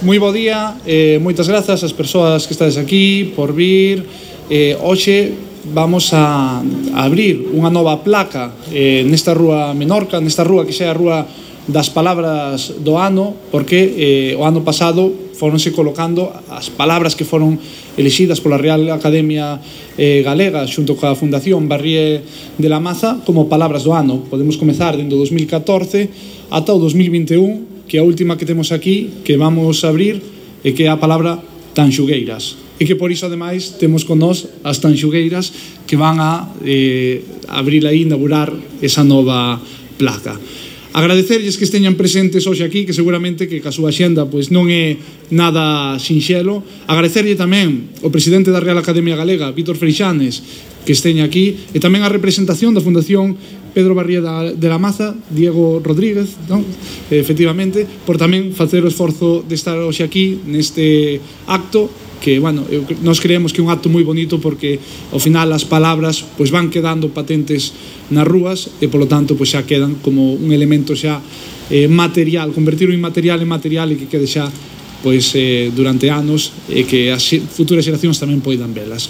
Moi bo día, moitas grazas ás persoas que estades aquí por vir. Hoxe vamos a abrir unha nova placa nesta rúa Menorca, nesta rúa que xa é a rúa das palabras do ano, porque o ano pasado foronse colocando as palabras que foron elixidas pola Real Academia Galega xunto coa Fundación Barrié de la Maza como palabras do ano. Podemos comezar dende o 2014 ata o 2021, que é a última que temos aquí, que vamos a abrir, e que é a palabra tanxugueiras. E que por iso, ademais, temos con nós as tanxugueiras que van a abrir aí, inaugurar esa nova placa. Agradecerlles que esteñan presentes hoxe aquí, que seguramente que ca súa xenda pois non é nada sinxelo. Agradecerlle tamén ao presidente da Real Academia Galega, Vítor Freixanes, que esteña aquí, e tamén a representación da Fundación Pedro Barrié de la Maza, Diego Rodríguez, non? Efectivamente, por tamén facer o esforzo de estar hoxe aquí neste acto, que, bueno, nós creemos que é un acto moi bonito porque ao final as palabras pois van quedando patentes nas rúas e polo tanto pois xa quedan como un elemento xa material, convertir o inmaterial en material e que quede xa pois durante anos e que as futuras xeracións tamén poidan velas.